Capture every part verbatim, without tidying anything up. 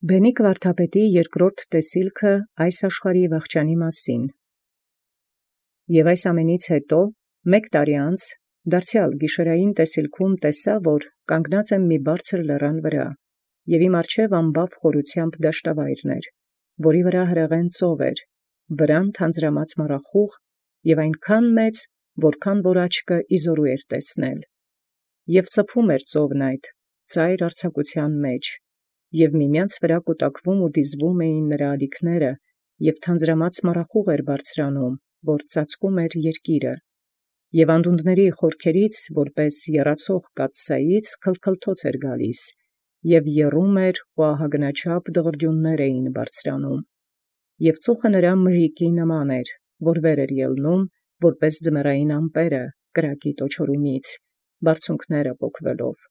Բենիկ վարդապետի երկրորդ տեսիլքը այս աշխարհի վախճանի մասին։ Եւ այս ամենից հետո մեկ տարի անց դարձեալ գիշերային տեսիլքում տեսա, որ կանգնած եմ մի բարձր լեռան վրա, եւ իմ առջև ամբավ խորությամբ դաշտավայրն էր, որի վրա հրեղեն ծով էր, վրան թանձրամած մառախուղ եւ այնքան մեծ, որքան որ աչքը իզորու էր տեսնել, եւ ծփում էր ծովն այդ ծայր արձակութեան մեջ, եւ միմյանց վրա կուտակվում ու դիզվում էին նրա ալիքները, եւ թանձրամած մառախուղ էր բարձրանում, որ ծածկում էր երկիրը, եւ անդունդների խորքերից, որպես եռացող կաթսայից, քլքլթոց էր գալիս, եւ եռում էր ու ահագնաչափ դղրդյուններ էին բարձրանում, եւ ծուխը նրա մրրիկի նման էր, որ վեր էր ելնում, որպես ձմեռային ամպերը կրակի տոչորումից, բարձունքները պոկվելով,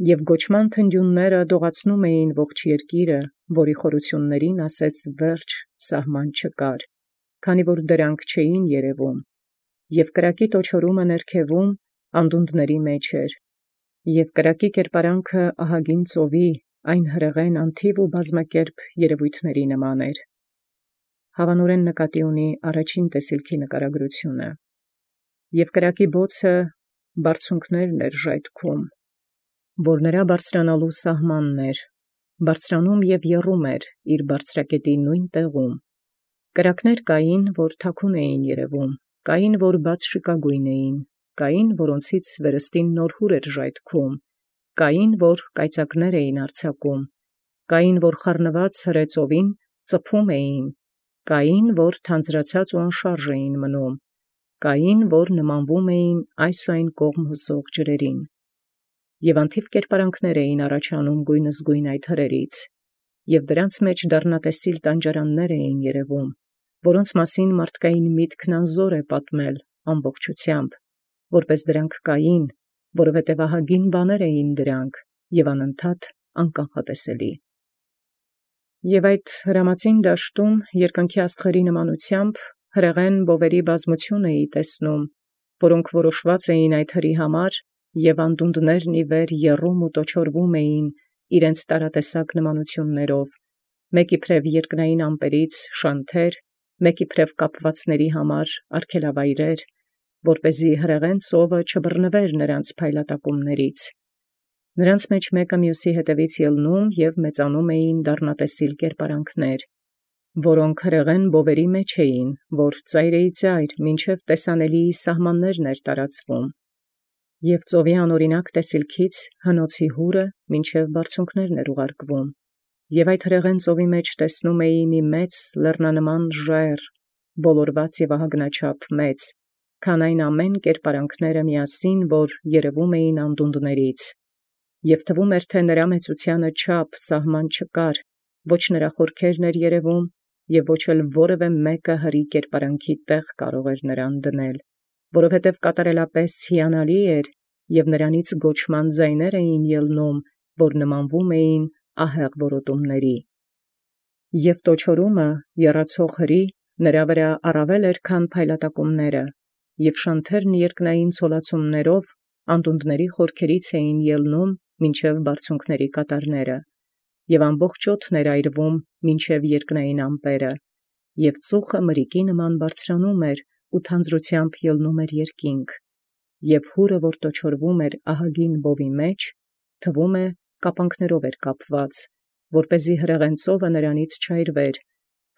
եւ գոչման թնդյունները դողացնում էին ողջ երկիրը, որի խորություններին ասես վերջ սահման չկար, քանի որ դրանք չէին երևում, եւ կրակի տոչորումը ներքևում անդունդների մեջ էր, եւ կրակի կերպարանքը ահագին ծովի, այն հրեղեն անթիվ ու բազմակերպ երևույթների նման էր։ Հավանորեն նկատի ունի առաջին տեսիլքի նկարագրությունը, եւ կրակի բոցը բարձունքներն էր ժայթքում, որ նրա բարձրանալու սահմանն էր, բարձրանում եւ եռում էր իր բարձրակետի նույն տեղում։ Կրակներ կային, որ թաքուն էին երևում, կային, որ բաց շիկագույն էին, կային, որոնցից վերստին նորհուր էր ժայթքում, կային, որ կայծակներ էին արձակում, կային, որ խառնված հրեծովին ծփում էին, կային, որ թանձրացած ու անշարժ էին մնում, կային, որ նմանվում էին այս ու այն կողմ հոսող ջրերին, եւ անթիվ կերպարանքներ էին առաջանում գույնզգույն այդ հրերից, եւ դրանց մեջ դառնատեսիլ տանջարաններ էին երևում, որոնց մասին մարդկային միտքն անզոր է պատմել ամբողջությամբ, որպես դրանք կային, որովհետև ահագին բաներ էին դրանք եւ անընդհատ անկանխատեսելի։ Եւ այդ հրամածին դաշտում երկնքի աստղերի նմանությամբ հրեղեն բովերի բազմություն էի տեսնում, որոնք որոշված էին այդ հրի համար, եւ անդունդներն ի վեր եռում ու տոչորվում էին իրենց տարատեսակ նմանություններով, մեկ իբրև երկնային ամպերից շանթեր, մեկ իբրև կապվածների համար արգելավայրեր, որպեսզի հրեղեն ծովը չբռնվեր նրանց փայլատակումներից։ Նրանց մեջ մեկը մյուսի հետևից ելնում եւ մեծանում էին դառնատեսիլ կերպարանքներ, որոնք հրեղեն բովերի մեջ էին, որ ծայրեի ծայր մինչև տեսանելիի սահմաններն էր տարածվում, եւ ծովի անօրինակ տեսիլքից հնոցի հուրը մինչև բարձունքներն էր ուղարկվում, եւ այդ հրեղեն ծովի մեջ տեսնում էի մի մեծ լեռնանման ժայռ, բոլորված եւ ահագնաչափ մեծ, քան այն ամեն կերպարանքները միասին, որ երևում էին անդունդներից, եւ թվում էր, թե նրա մեծութեանը չափ սահման չկար, ոչ նրա խորքերն էր երևում, եւ ոչ էլ որևէ մեկը հրի կերպարանքի տեղ կարող էր նրան դնել, որովհետև կատարելապես հիանալի էր, եւ նրանից գոչման ձայներ էին ելնում, որ նմանվում էին ահեղ որոտումների։ Եւ տոչորումը եռացող հրի նրա վրա առավել էր, քան փայլատակումները, եւ շանթերն երկնային ցոլացումներով անդունդների խորքերից էին ելնում մինչև բարձունքների կատարները, եւ ամբողջ օդն էր այրվում մինչև երկնային ամպերը, եւ ծուխը մրրիկի նման բարձրանում էր ու թանձրությամբ ելնում էր երկինք, եւ հուրը, որ տոչորվում էր ահագին բովի մեջ, թվում է կապանքներով էր կապված, որպեսզի հրեղեն ծովը նրանից չայրվեր,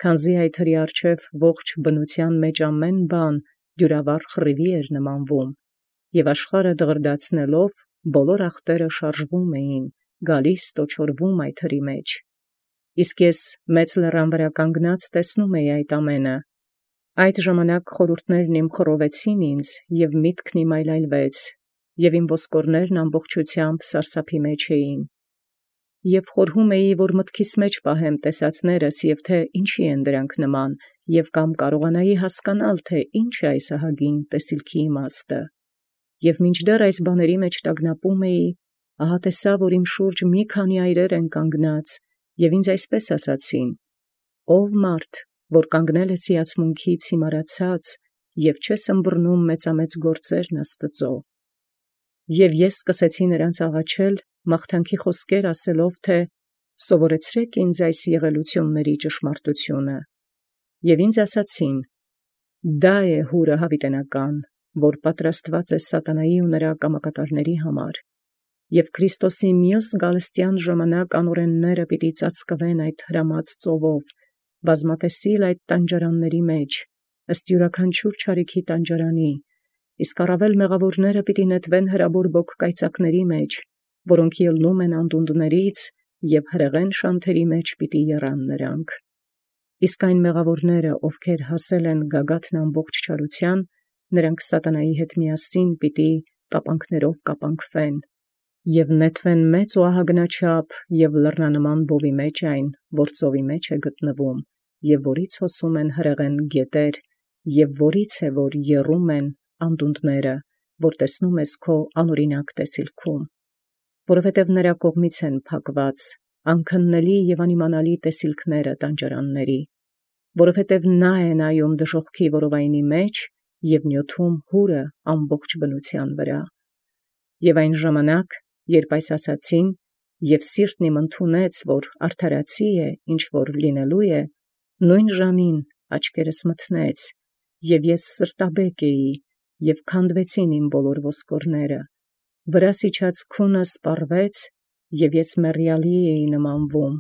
քանզի այդ հրի առջև ողջ բնության մեջ ամեն բան դյուրավառ խռիվի էր նմանվում, եւ աշխարհը դղրդացնելով բոլոր ախտերը շարժվում էին, գալիս տոչորվում այդ հրի մեջ։ Իսկ ես մեծ լեռան վրա կանգնած տեսնում էի այդ ամենը։ Այդ ժամանակ խորհուրդներն իմ խռովեցին ինձ, եւ միտքն իմ այլայլվեց, եւ իմ ոսկորներն ամբողջությամբ սարսափի մեջ էին։ Եւ խորհում էի, որ մտքիս մեջ պահեմ տեսածներս, եւ թե ինչի են դրանք նման, եւ կամ կարողանայի հասկանալ, թե ինչ է այս ահագին տեսիլքի իմաստը։ Եւ մինչդեռ այս բաների մեջ տագնապում էի, ահա տեսա, որ իմ շուրջ մի քանի այրեր են կանգնած, եւ ինձ այսպես ասացին. «Ով մարդ, որ կանգնել ես հիացմունքից հիմարացած եւ չես ըմբռնում մեծամեծ գործերն Աստծո»։ Եվ ես սկսեցի նրանց աղաչել մաղթանքի խոսքեր ասելով, թե Սովորեցրեք ինձ այս եղելությունների ճշմարտությունը։ Եւ ինձ ասացին. դա է հուրը հավիտենական, որ պատրաստված է սատանայի ու նրա կամակատարների համար, եւ Քրիստոսի մյուս գալստյան ժամանակ անօրենները պիտի ծածկվեն այդ հրամած ծովով, բազմատեսիլ այդ տանջարանների մեջ, ըստ յուրաքանչյուր չարիքի տանջարանի, իսկ առավել մեղավորները պիտի նետվեն հրաբոր բոգկայծակների մեջ, որոնք ելնում են անդունդներից, եւ հրեղեն շանթերի մեջ պիտի եռան նրանք։ Իսկ այն մեղավորները, ովքեր հասել են գագաթն ամբողջ չարության, նրանք սատանայի հետ միասին պիտի կապանքներով կապանքվեն, եւ նետվեն մեծ ու ահագնաչափ եւ լեռնանման բովի մեջ այն, որ ծովի մեջ է գտնվում, եւ որից հոսում են հրեղեն գետեր, եւ որից է որ եռում են անդունդները, որ տեսնում ես քո անօրինակ տեսիլքում, որովհետև նրա կողմից են փակված անքննելի եւ անիմանալի տեսիլքները տանջարանների, որովհետև նա է նայում դժոխքի որովայնի մեջ եւ նյութում հուրը ամբողջ բնության վրա։ Եւ այն ժամանակ, երբ այս ասացին, եւ սիրտն իմ ընդունեց, որ արդարացի է, ինչ որ լինելու է, նույն ժամին աչքերս մթնեց, եւ ես սրտաբեկ էի, եւ քանդվեցին իմ բոլոր ոսկորները, վրաս իջած քունը սպառվեց, եւ ես մեռյալի էի նմանվում,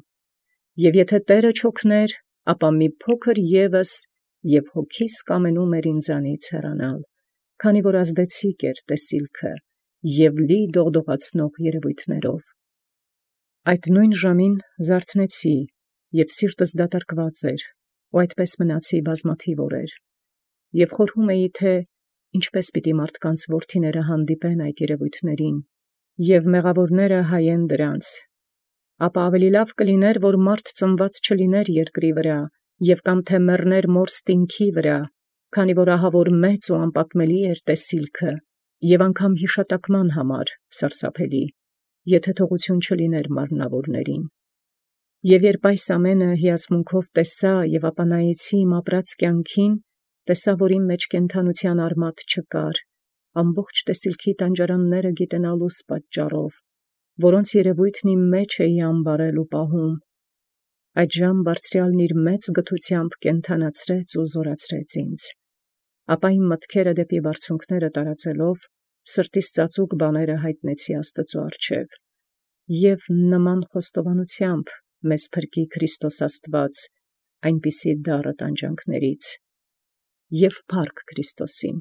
եւ եթե Տերը չօգներ, ապա մի փոքր ևս, եւ հոգիս կամենում էր ինձանից հեռանալ, քանի որ ազդեցիկ էր տեսիլքը, եւ լի դողդողացնող երևույթներով։ Այդ նույն ժամին զարթնեցի, եւ սիրտս դատարկված էր, ու այդպես մնացի բազմաթիվ օրեր, եւ խորհում էի, թե ինչպես պիտի մարդկանց որդիները հանդիպեն այդ երևույթներին, եւ մեղավորները հայեն դրանց, ապա ավելի լավ կլիներ, որ մարդ ծնված չլիներ երկրի վրա, եւ կամ թե մեռներ մոր ստինքի վրա, քանի որ ահավոր մեծ ու անպատմելի էր տեսիլքը, եւ անգամ հիշատակման համար սարսափելի, եթե թողություն չլիներ մարմնավորներին։ Եվ երբ այս ամենը հիացմունքով տեսա եւ ապա նայեցի իմ ապրած կյանքին, տեսա, որ իմ մեջ կենդանության արմատ չկար, ամբողջ տեսիլքի տանջարանները գիտենալուս պատճառով, որոնց երևույթն իմ մեջ էի ամբարել ու պահում։ Այդ ժամ բարձրյալն իր մեծ գթությամբ կենդանացրեց ու զորացրեց ինձ։ Ապա իմ մտքերը դեպի բարձունքները տարածելով, սրտիս ծածուկ բաները հայտնեցի Աստծու առջև, եւ նման խոստովանությամբ մեզ փրկի Քրիստոս Աստված այնպիսի դառը տանջանքներից, եւ փառք Քրիստոսին։